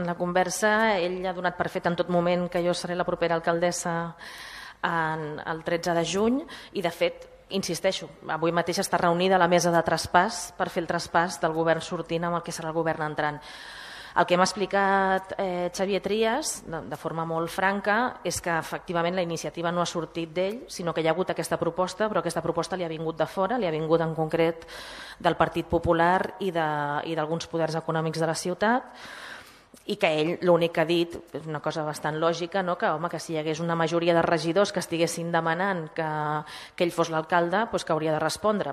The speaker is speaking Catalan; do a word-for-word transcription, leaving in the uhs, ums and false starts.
en la conversa ell ha donat per fet en tot moment que jo seré la propera alcaldessa en, el tretze de juny i, de fet, insisteixo, avui mateix està reunida la mesa de traspàs per fer el traspàs del govern sortint amb el que serà el govern entrant. El que m'ha explicat eh, Xavier Trias, de, de forma molt franca, és que efectivament la iniciativa no ha sortit d'ell, sinó que hi ha hagut aquesta proposta, però aquesta proposta li ha vingut de fora, li ha vingut en concret del Partit Popular i d'alguns poders econòmics de la ciutat, i que ell l'únic que ha dit, és una cosa bastant lògica, no? que, home, que si hi hagués una majoria de regidors que estiguessin demanant que, que ell fos l'alcalde, doncs que hauria de respondre.